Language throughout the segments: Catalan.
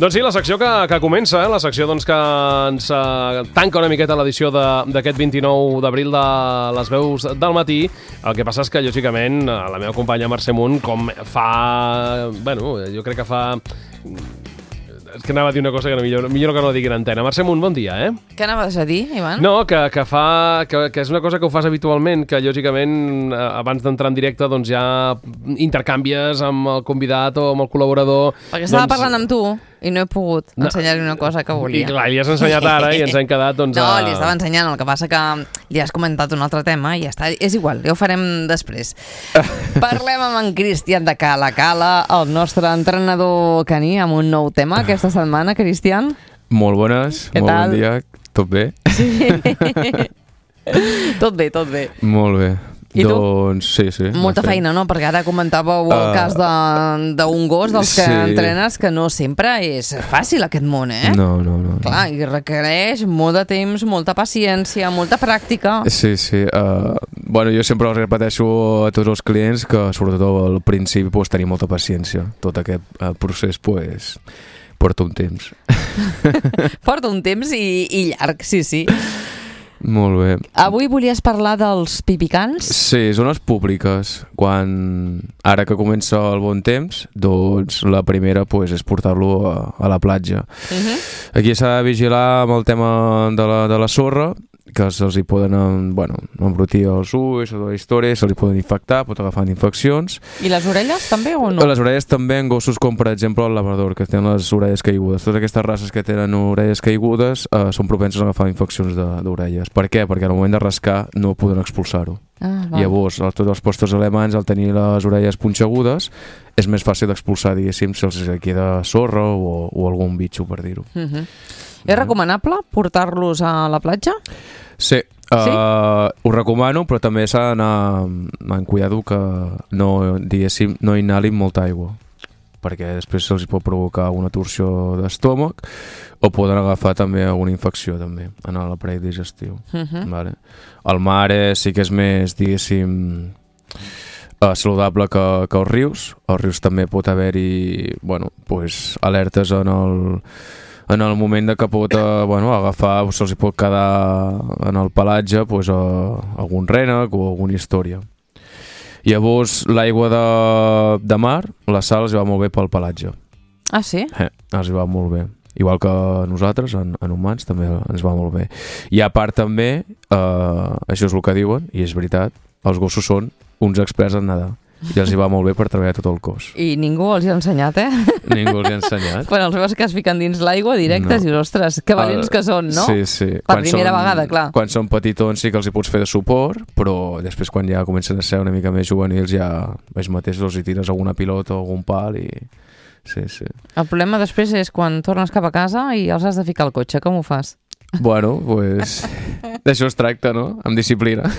Doncs sí, la secció que comença, la secció doncs, que ens tanca una miqueta l'edició d'aquest 29 d'abril de les veus del matí. El que passa és que, lògicament, la meva companya Mercè Munt, com fa... Bueno, jo crec que fa... És que anava a dir una cosa que millor que no la digui en antena. Mercè Munt, bon dia, Què anaves a dir, Ivan? No, que és una cosa que ho fas habitualment, que lògicament abans d'entrar en directe doncs ja intercanvies amb el convidat o amb el col·laborador. Perquè estava parlant amb tu i no he pogut ensenyar-li una cosa que volia. I clar, li has ensenyat ara i ens hem quedat doncs... No, li estava ensenyant, el que passa que li has comentat un altre tema i ja està. És igual, ja ho farem després. Parlem amb en Cristian de Cala Cala, el nostre entrenador caní, amb un nou tema aquesta setmana. Cristian? Molt bones, Què molt tal? bon dia, tot bé? Sí. Tot bé, tot bé. Molt bé. I tu? Doncs sí. Molta feina, no? Perquè ara comentàveu el cas d'un gos dels que entrenes, que no sempre és fàcil aquest món, No. Clar, i requereix molt de temps, molta paciència, molta pràctica. Sí. Bueno, jo sempre els repeteixo a tots els clients que sobretot al principi pues, tenir molta paciència. Tot aquest procés pues, porta un temps. Porta un temps i llarg, sí. Molt bé. Avui volies parlar dels pipicans? Sí, zones públiques. Ara que comença el bon temps, doncs la primera pues, és portar-lo a la platja. Aquí s'ha de vigilar amb el tema de la sorra, que se'ls hi poden embrutir els ulls, tota la història, se'ls hi poden infectar, pot agafar infeccions. I les orelles també o no? Les orelles també en gossos com per exemple el labrador, que tenen les orelles caigudes. Totes aquestes races que tenen orelles caigudes són propenses a agafar infeccions d'orelles. Per què? Perquè al moment de rascar no poden expulsar-ho. Llavors, tots els postos alemanys, al tenir les orelles punxegudes, és més fàcil d'expulsar, diguéssim, si els queda sorra o algun bitxo, per dir-ho. És recomanable portar-los a la platja? Sí, ho recomano, però també s'ha d'anar amb cuidado que no inhalin molta aigua, perquè després se'ls pot provocar una torsió d'estómac o poden agafar també alguna infecció també en l'aparell digestiu. Vale. El mar sí que és més, diguéssim, saludable que els rius. Als rius també pot haver-hi alertes en el moment de que pot agafar, se'ls pot quedar en el pelatge algun rènec o alguna història. Llavors, l'aigua de mar, la sal els va molt bé pel pelatge. Ah, sí? Els va molt bé. Igual que nosaltres, en humans, també ens va molt bé. I a part també, això és el que diuen, i és veritat, els gossos són uns experts en nedar. I els hi va molt bé per treballar tot el cos. I ningú els hi ha ensenyat, Ningú els hi ha ensenyat. Quan els veus que es fiquen dins l'aigua directes, dius, ostres, que valents que són, no? Sí. Per primera vegada, clar. Quan són petitons sí que els hi pots fer de suport, però després quan ja comencen a ser una mica més juvenils ja ells mateixos els hi tires alguna pilota o algun pal i... Sí. El problema després és quan tornes cap a casa i els has de ficar al cotxe, com ho fas? Bueno, d'això es tracta, no? Amb disciplina.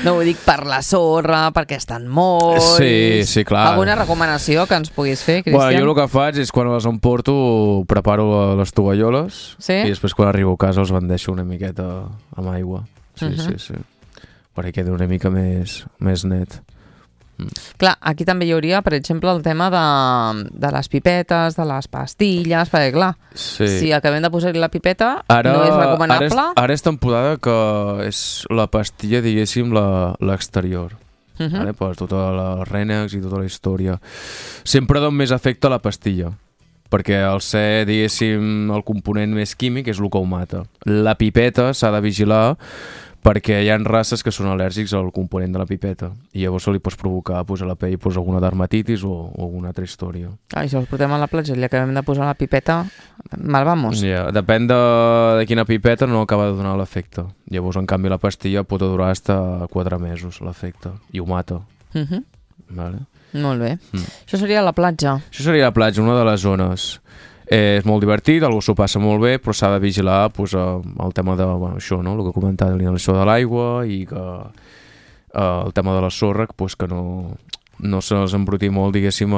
No ho dic per la sorra, perquè estan molts... Sí, clar. Alguna recomanació que ens puguis fer, Cristian? Bueno, jo el que faig és quan les emporto preparo les tovalloles i després quan arribo a casa els bandeixo una miqueta amb aigua. Sí. Perquè queda una mica més net. Clar, aquí també hi hauria, per exemple, el tema de les pipetes, de les pastilles, perquè clar, si acabem de posar-hi la pipeta no és recomanable. Ara és temporada que és la pastilla, diguéssim, l'exterior. Per tota els rènecs i tota la història. Sempre dona més efecte a la pastilla, perquè al ser, diguéssim, el component més químic és el que ho mata. La pipeta s'ha de vigilar perquè hi ha races que són al·lèrgics al component de la pipeta i llavors se li pots provocar a la pell alguna dermatitis o alguna altra història. Si els portem a la platja i li acabem de posar la pipeta, mal vamos. Depèn de quina pipeta no acaba de donar l'efecte. Llavors, en canvi, la pastilla pot durar fins a 4 mesos l'efecte i ho mata. Vale? Molt bé. Això seria la platja. Això seria la platja, una de les zones. És molt divertit, algú s'ho passa molt bé, però s'ha de vigilar el tema de això, no? El que comentava, l'inhalació de l'aigua i que el tema de la sorra, que no se'ls embruti molt, diguéssim,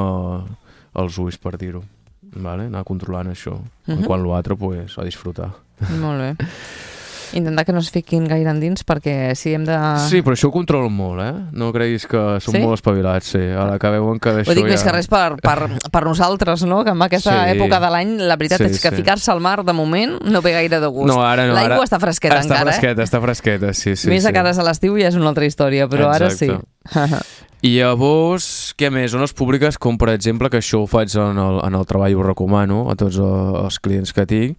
els ulls, per dir-ho. Vale? Anar controlant això. Quan l'altre, a disfrutar. Molt bé. Intentar que no es fiquin gaire endins perquè si hem de... Sí, però això ho controlen molt, No creguis que són molt espavilats, sí. A la que veuen que d'això ho dic més que res per nosaltres, no? Que en aquesta època de l'any la veritat és que ficar-se al mar de moment no ve gaire de gust. No, ara no. L'aigua està fresqueta encara, Està fresqueta, sí. Més a cares a l'estiu ja és una altra història, però ara sí. I llavors, què més? Zones públiques, com per exemple, que això ho faig en el treball, ho recomano a tots els clients que tinc,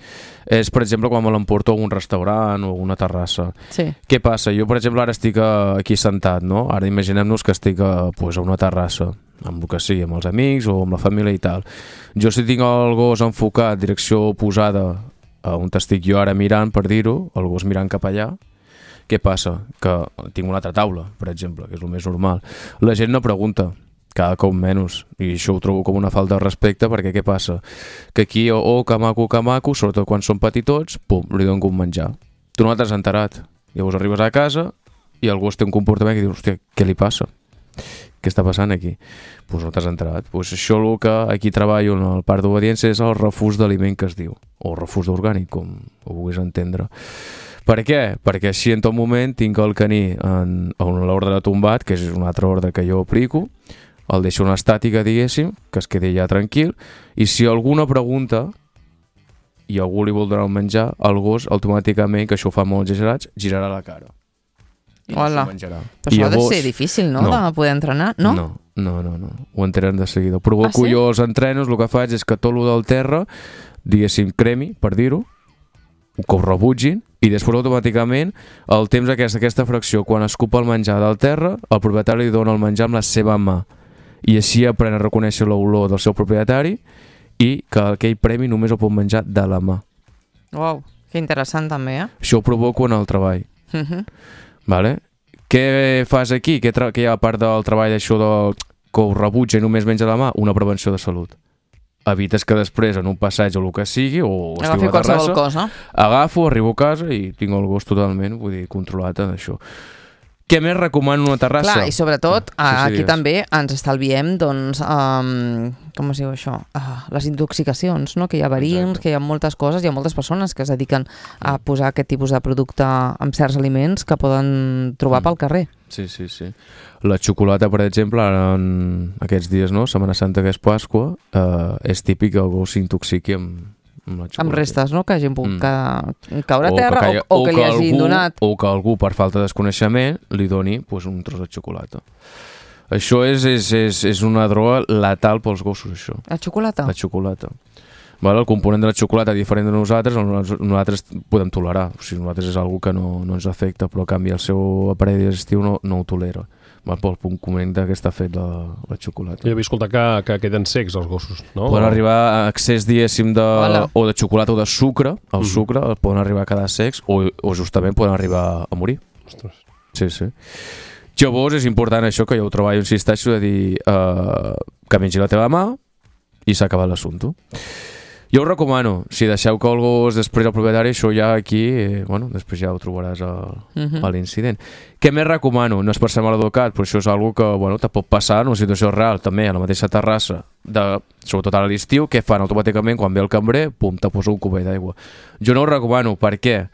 és, per exemple, quan me l'emporto a un restaurant o a una terrassa. Sí. Què passa? Jo, per exemple, ara estic aquí sentat, no? Ara imaginem-nos que estic a una terrassa, amb el que sigui, amb els amics o amb la família i tal. Jo, si tinc el gos enfocat, direcció oposada a on estic jo ara mirant, per dir-ho, el gos mirant cap allà, què passa? Que tinc una altra taula, per exemple, que és el més normal. La gent no pregunta, cada cop menys, i això ho trobo com una falta de respecte, perquè què passa? Que aquí, que maco, sobretot quan són petitots, pum, li donen un menjar. Tu no t'has enterat. Llavors arribes a casa i el gos té un comportament que dius, hòstia, què li passa? Què està passant aquí? Doncs no t'has enterat. Això el que aquí treballo en el parc d'obediència és el refús d'aliment que es diu, o refús d'orgànic, com ho vulguis entendre. Per què? Perquè així en tot moment tinc el caní en l'ordre de tombat, que és un altre ordre que jo aplico, el deixo en estàtica, diguéssim, que es quedi ja tranquil, i si alguna pregunta i algú li vol donar un menjar, el gos automàticament, que això ho fa molt exagerats, girarà la cara. I hola. Menjarà. Però això ha de ser difícil, no? De poder entrenar, no? No. Ho entrenen de seguida. Provoco jo els entrenos, el que faig és que tot el del terra, diguéssim, cremi, per dir-ho, que ho rebutgin, i després automàticament el temps aquesta fracció, quan escupa el menjar del terra, el propietari li dona el menjar amb la seva mà, i així aprèn a reconèixer l'olor del seu propietari i que aquell premi només el pot menjar de la mà. Uau, que interessant també, Això ho provoco en el treball. Vale? Què fas aquí? Què hi ha a part del treball d'això que ho rebutja i només menja la mà? Una prevenció de salut. Evites que després en un passeig o el que sigui, o estic a la terrassa, agafo, arribo a casa i tinc el gos totalment, vull dir, controlat en això. Què més recomano una terrassa? Clar, i sobretot aquí també ens estalviem, doncs, com es diu això? Les intoxicacions, no? Que hi ha verins, que hi ha moltes coses, hi ha moltes persones que es dediquen a posar aquest tipus de producte amb certs aliments que poden trobar pel carrer. Sí. La xocolata, per exemple, ara en aquests dies, no? Setmana Santa, que és Pasqua, és típic que el gos s'intoxiqui amb la xocolata. Amb restes, no? Que hagin pogut caure a terra o que li hagin donat. O que algú, per falta de desconeixement, li doni un tros de xocolata. Això és una droga letal pels gossos, això. La xocolata? La xocolata. Vale, el component de la xocolata diferent de nosaltres podem tolerar. O sigui, nosaltres és una que no ens afecta, però a canvi el seu aparell digestiu no ho tolera. Pel component que està fet la xocolata. Jo havia escoltat que queden secs els gossos, no? Poden arribar a excés, diguéssim, o de xocolata o de sucre, el sucre, poden arribar a quedar secs o justament poden arribar a morir. Ostres. Sí. Llavors és important això, que jo ho treballo, insisteixo, de dir que mengi la teva mà i s'ha acabat l'assumpte. Jo ho recomano, si deixeu que el gos després el propietari, això ja aquí, després ja ho trobaràs a l'incident. Què més recomano? No és per ser mal educat, però això és una que te pot passar en una situació real, també a la mateixa terrassa, sobretot a l'estiu, què fan automàticament quan ve el cambrer? Pum, te posa un cubell d'aigua. Jo no ho recomano, per què?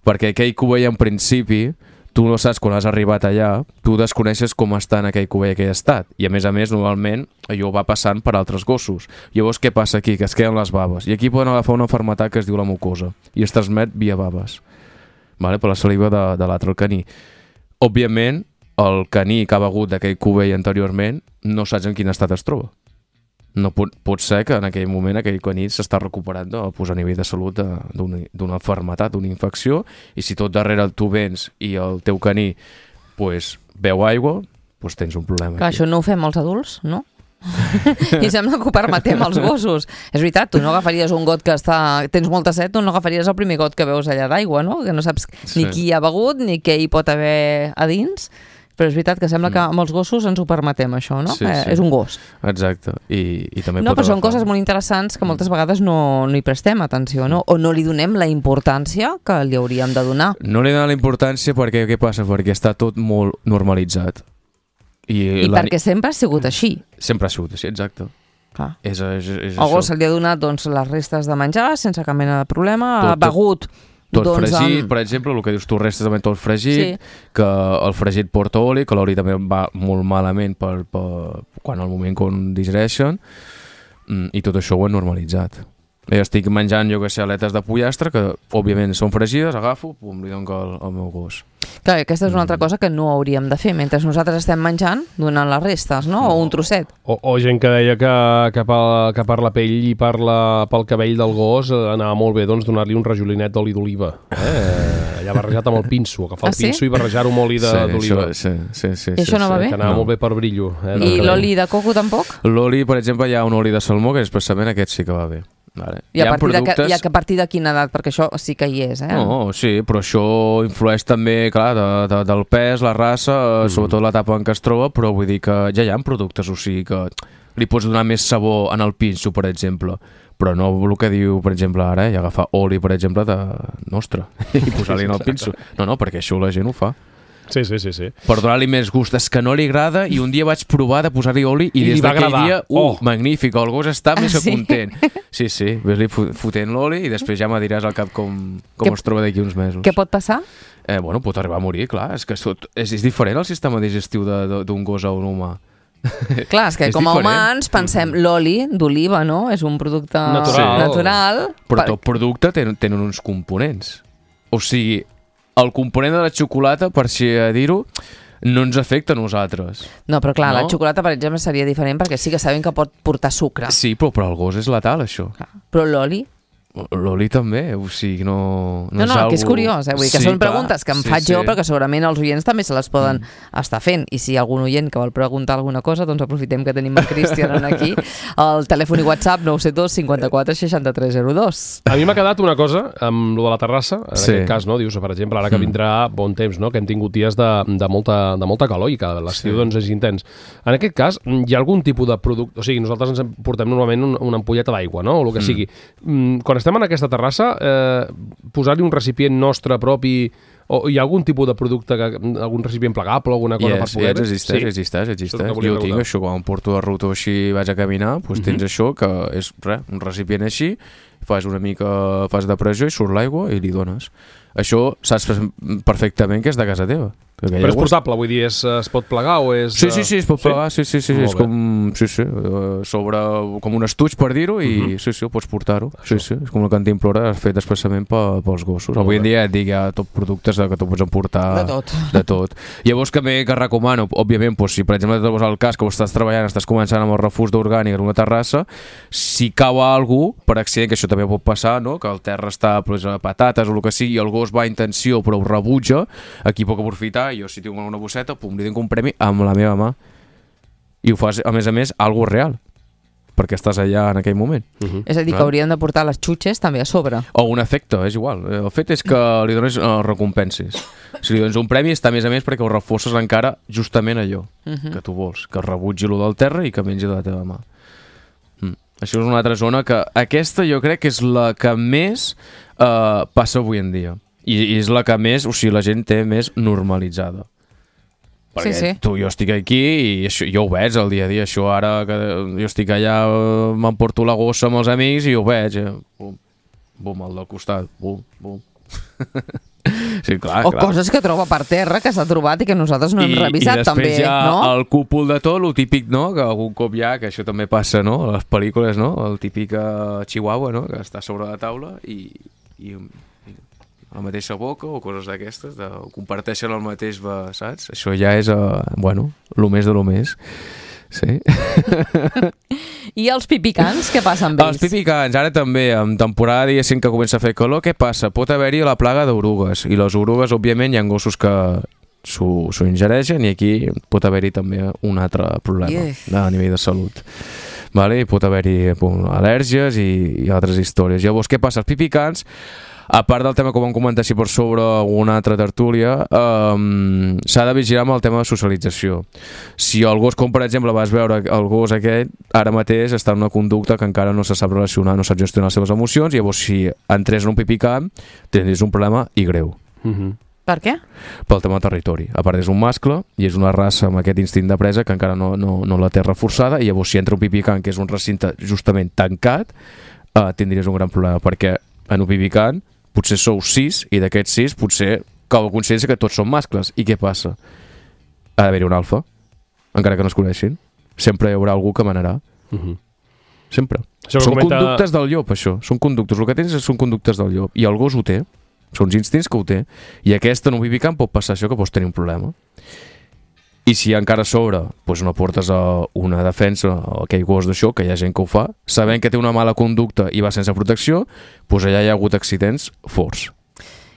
Perquè aquell cubell en principi tu no saps quan has arribat allà, tu desconeixes com està en aquell cubell, aquell estat. I a més, normalment, allò va passant per altres gossos. Llavors, què passa aquí? Que es queden les baves. I aquí poden agafar una malaltia que es diu la mucosa. I es transmet via baves. Vale? Per la saliva de l'altre, el caní. Òbviament, el caní que ha begut d'aquell cubell anteriorment no saps en quin estat es troba. No pot ser que en aquell moment aquell caní s'està recuperant a nivell de salut d'una malaltia, d'una infecció, i si tot darrere tu vens i el teu caní beu aigua, tens un problema. Clar, això no ho fem els adults, no? I sembla que ho permetem als gossos. És veritat, tu no agafaries un got que tens molta set, tu no agafaries el primer got que veus allà d'aigua, no? Que no saps ni qui hi ha begut ni què hi pot haver a dins. Però és veritat que sembla que amb els gossos ens ho permetem, això, no? Sí. És un gos. Exacte. I també però són coses molt interessants que moltes vegades no hi prestem atenció, no? O no li donem la importància que li hauríem de donar. No li donem la importància perquè, què passa? Perquè està tot molt normalitzat. I perquè sempre ha sigut així. Sempre ha sigut així, exacte. Clar. És el gos se li ha donat les restes de menjar sense cap mena de problema, ha begut tot fregit, per exemple, el que dius tu, restes també tot fregit, que el fregit porta oli, que l'oli també va molt malament quan al moment quan digereixen, i tot això ho he normalitzat. Jo estic menjant, jo que sé, aletes de pollastre, que òbviament són fregides, agafo, pum, li dono al meu gos. Clar, aquesta és una altra cosa que no hauríem de fer mentre nosaltres estem menjant, donant les restes, no? O un trosset. O gent que deia que per la pell i pel cabell del gos anava molt bé donar-li un rajolinet d'oli d'oliva. Allà barrejat amb el pinso, agafar el pinso i barrejar-ho amb oli d'oliva. Sí. I això no va bé? Que anava molt bé per brillo. I l'oli de coco tampoc? L'oli, per exemple, hi ha un oli de salmó que expressament aquest sí que va bé. Vale. I a partir de quina edat? Perquè això sí que hi és, No, sí, però això influeix també, clar, del pes, la raça, sobretot l'etapa en què es troba, però vull dir que ja hi ha productes, o sigui que li pots donar més sabor en el pinso, per exemple, però no el que diu, per exemple, ara, i agafar oli, per exemple, de nostre, i posar-li en el pinso. No, perquè això la gent ho fa. Sí. Per donar-li més gust. És que no li agrada i un dia vaig provar de posar-li oli i des d'aquell dia, magnífic, el gos està més que content. Sí, ves-li fotent l'oli i després ja me diràs al cap com es troba d'aquí uns mesos. Què pot passar? Pot arribar a morir, clar. És que és diferent el sistema digestiu d'un gos a un humà. Clar, és que com a humans pensem l'oli d'oliva, no? És un producte natural. Però tot producte tenen uns components. O sigui, el component de la xocolata, per així dir-ho, no ens afecta a nosaltres. No, però clar, la xocolata, per exemple, seria diferent perquè sí que sabem que pot portar sucre. Sí, però per al gos és letal, això. Però l'oli? L'oli també, o sigui, no és algo... que és curiós, vull dir que són preguntes que em faig jo, però que segurament els oients també se les poden estar fent, i si hi ha algun oient que vol preguntar alguna cosa, doncs aprofitem que tenim el Cristian aquí, el telèfon i WhatsApp 972 54 63 02. A mi m'ha quedat una cosa amb lo de la terrassa, en aquest cas, no? Dius, per exemple, ara que vindrà bon temps, no? Que hem tingut dies de molta calor i que l'estiu doncs és intens. En aquest cas, hi ha algun tipus de producte, o sigui, nosaltres ens portem normalment una ampolleta d'aigua, no? O el que sigui. Quan estem en aquesta terrassa, posar-li un recipient nostre propi, o hi ha algun tipus de producte, algun recipient plegable o alguna cosa per poder... Existeix. Jo tinc això, quan em porto de ruta o així vaig a caminar, doncs tens això, que és un recipient així, fas de pressió i surt l'aigua i li dones. Això saps perfectament que és de casa teva. Però és portable, vull dir, es pot plegar o és... Sí, es pot plegar, sí. És com, sobre com un estuig, per dir-ho, i sí, ho pots portar-ho. Sí, és com la cantimplora fet expressament pels gossos. Avui en dia et dic, hi ha tot productes que tu pots emportar de tot. Llavors que recomano, òbviament, si per exemple et trobes al cas que estàs treballant, estàs començant amb el refús d'orgànic en una terrassa, si cau algú, per accident, que això també pot passar, no? Que el terra està a patates o el que sigui, i el gos va a intenció però ho rebutja, aquí puc aprofitar. Jo si tinc una bosseta, li dono un premi amb la meva mà. I ho fas, a més, algo real, perquè estàs allà en aquell moment. És a dir, que hauríem de portar les xutxes també a sobre. O un efecte, és igual. El fet és que li dones recompenses. Si li dones un premi està a més perquè ho reforces encara justament allò que tu vols, que rebutgi lo del terra i que mengi de la teva mà. Això és una altra zona que aquesta jo crec que és la que més passa avui en dia. I és la que més, o sigui, la gent té més normalitzada. Perquè jo estic aquí i això, jo ho veig el dia a dia. Això ara que jo estic allà, m'emporto la gossa amb els amics i ho veig. Bum, al del costat. Bum. Sí, clar. Coses que troba per terra, que s'ha trobat i que nosaltres no hem revisat també. I després hi ha el cúpul de tot, el típic, no? Que algun cop hi ha, que això també passa, no? A les pel·lícules, no? El típic chihuahua, no? Que està sobre la taula i a la mateixa boca o coses d'aquestes, comparteixen el mateix, saps? Això ja és, lo més de lo més. Sí. I els pipicans, què passa amb ells? Els pipicans, ara també, en temporada diguéssim que comença a fer calor, què passa? Pot haver-hi la plaga d'orugues, i les orugues, òbviament, hi ha gossos que s'ho ingereixen, i aquí pot haver-hi també un altre problema a nivell de salut. Vale? I pot haver-hi al·lèrgies i altres històries. Llavors, què passa? Els pipicans, a part del tema que vam comentar així per sobre una altra tertúlia, s'ha de vigilar amb el tema de socialització. Si el gos, com per exemple vas veure el gos aquest, ara mateix està en una conducta que encara no se sap relacionar, no sap gestionar les seves emocions, i llavors si entrés en un pipicamp tindries un problema i greu. Per què? Pel tema del territori. A part és un mascle i és una raça amb aquest instint de presa que encara no la té reforçada, i llavors si entra un pipicamp que és un recinte justament tancat, tindries un gran problema, perquè en un pipicamp potser sou 6 i d'aquests 6 potser que algú considera que tots són mascles. I què passa? Ha d'haver-hi un alfa, encara que no es coneixin. Sempre hi haurà algú que manarà. Sempre. Són conductes del llop, això. Són conductes. El que tens són conductes del llop. I el gos ho té. Són uns instints que ho té. I aquesta no pipicant pot passar això, que pots tenir un problema. I si encara a sobre no portes a una defensa a aquell gos d'això, que hi ha gent que ho fa, sabent que té una mala conducta i va sense protecció, allà hi ha hagut accidents forts.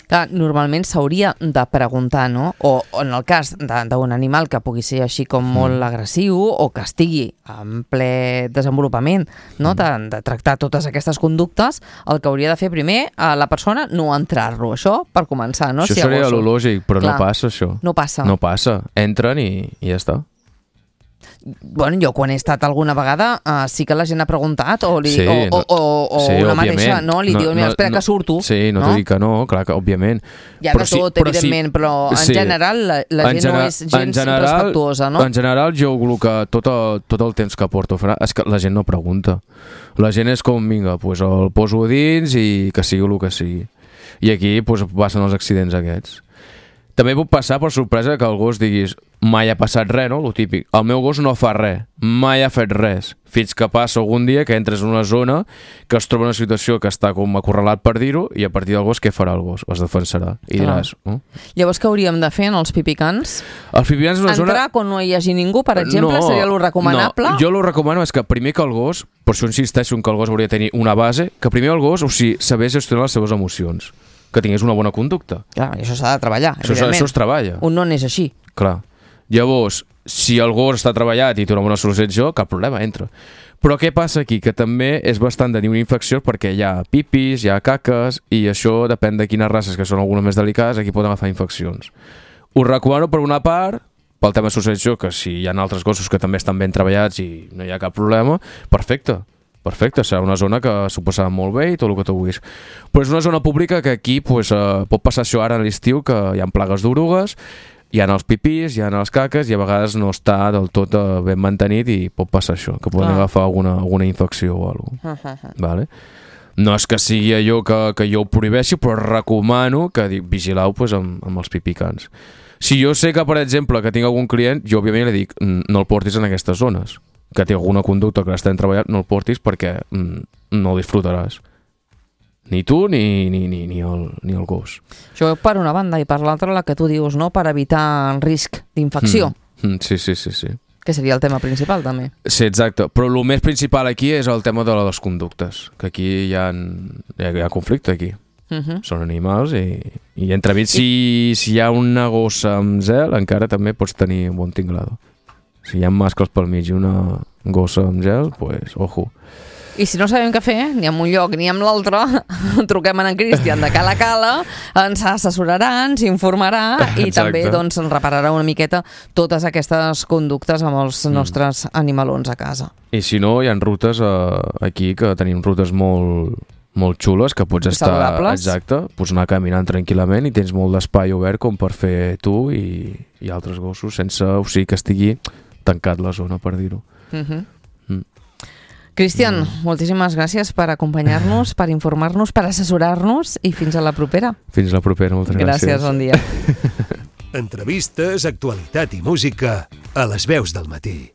Clar, normalment s'hauria de preguntar, no? O en el cas d'un animal que pugui ser així com molt agressiu o que estigui en ple desenvolupament, no? De tractar totes aquestes conductes, el que hauria de fer primer a la persona no entrar-lo, això per començar, no? Això seria lo lògic, però no passa això. No passa. No passa. Entren i ja està. Bueno, jo quan he estat alguna vegada sí que la gent ha preguntat o una mateixa, no? Li diu, mira, espera que surto. Sí, no t'ho dic que no, clar que òbviament. Hi ha de tot, evidentment, però en general la gent no és gens respectuosa, no? En general jo el que tot el temps que porto és que la gent no pregunta. La gent és com, vinga, el poso dins i que sigui el que sigui. I aquí passen els accidents aquests. També pot passar per sorpresa que el gos diguis mai ha passat res, no? Lo típic. El meu gos no fa res, mai ha fet res. Fins que passa algun dia que entres en una zona que es troba en una situació que està com acorralat per dir-ho i a partir del gos què farà el gos? Es defensarà. I diràs... Llavors què hauríem de fer en els pipicans? Els pipicans és una zona... Entrar quan no hi hagi ningú, per exemple, seria lo recomanable? No, jo lo recomano és que primer que el gos, per això insisteixo que el gos hauria de tenir una base, que primer el gos, sabés gestionar les seves emocions, que tingués una bona conducta. Clar, això s'ha de treballar, evidentment. Això es treballa. Un non és així. Clar. Llavors, si el gos està treballat i té una bona solució, cap problema, entra. Però què passa aquí? Que també és bastant de tenir una infecció perquè hi ha pipis, hi ha caques i això depèn de quines races, que són algunes més delicades, aquí poden agafar infeccions. Us recomano per una part, pel tema associació, que si hi ha altres gossos que també estan ben treballats i no hi ha cap problema, perfecte. Perfecte, serà una zona que s'ho passarà molt bé i tot el que tu vulguis. Però és una zona pública que aquí pot passar això ara a l'estiu, que hi ha plagues d'orugues, hi ha els pipís, hi ha les caques i a vegades no està del tot ben mantenit i pot passar això, que poden agafar alguna infecció o alguna cosa. Vale? No és que sigui allò que jo ho prohibeixi, però recomano que vigileu amb els pipicans. Si jo sé que, per exemple, que tinc algun client, jo òbviament li dic no el portis en aquestes zones, que té alguna conducta que l'estem treballant, no el portis perquè no el disfrutaràs. Ni tu ni el gos. Això per una banda, i per l'altra la que tu dius, no? Per evitar el risc d'infecció. Sí. Que seria el tema principal, també. Sí, exacte. Però el més principal aquí és el tema de les conductes, que aquí hi ha conflicte aquí. Són animals i entremig si hi ha una gossa amb zel encara també pots tenir un bon tinglado. Si hi ha mascles pel mig i una gossa amb gel, doncs, ojo. I si no sabem què fer, ni en un lloc ni en l'altre, truquem a en Cristian de Cala Cala, ens assessorarà, ens informarà i també ens repararà una miqueta totes aquestes conductes amb els nostres animalons a casa. I si no, hi ha rutes aquí, que tenim rutes molt xules, que pots estar... Saludables. Exacte, pots anar caminant tranquil·lament i tens molt d'espai obert com per fer tu i altres gossos, sense que estigui tancat la zona, per dir-ho. Cristian, moltíssimes gràcies per acompanyar-nos, per informar-nos, per assessorar-nos i fins a la propera. Fins a la propera, moltes gràcies. Gràcies, bon dia. Entrevistes, actualitat i música a les veus del matí.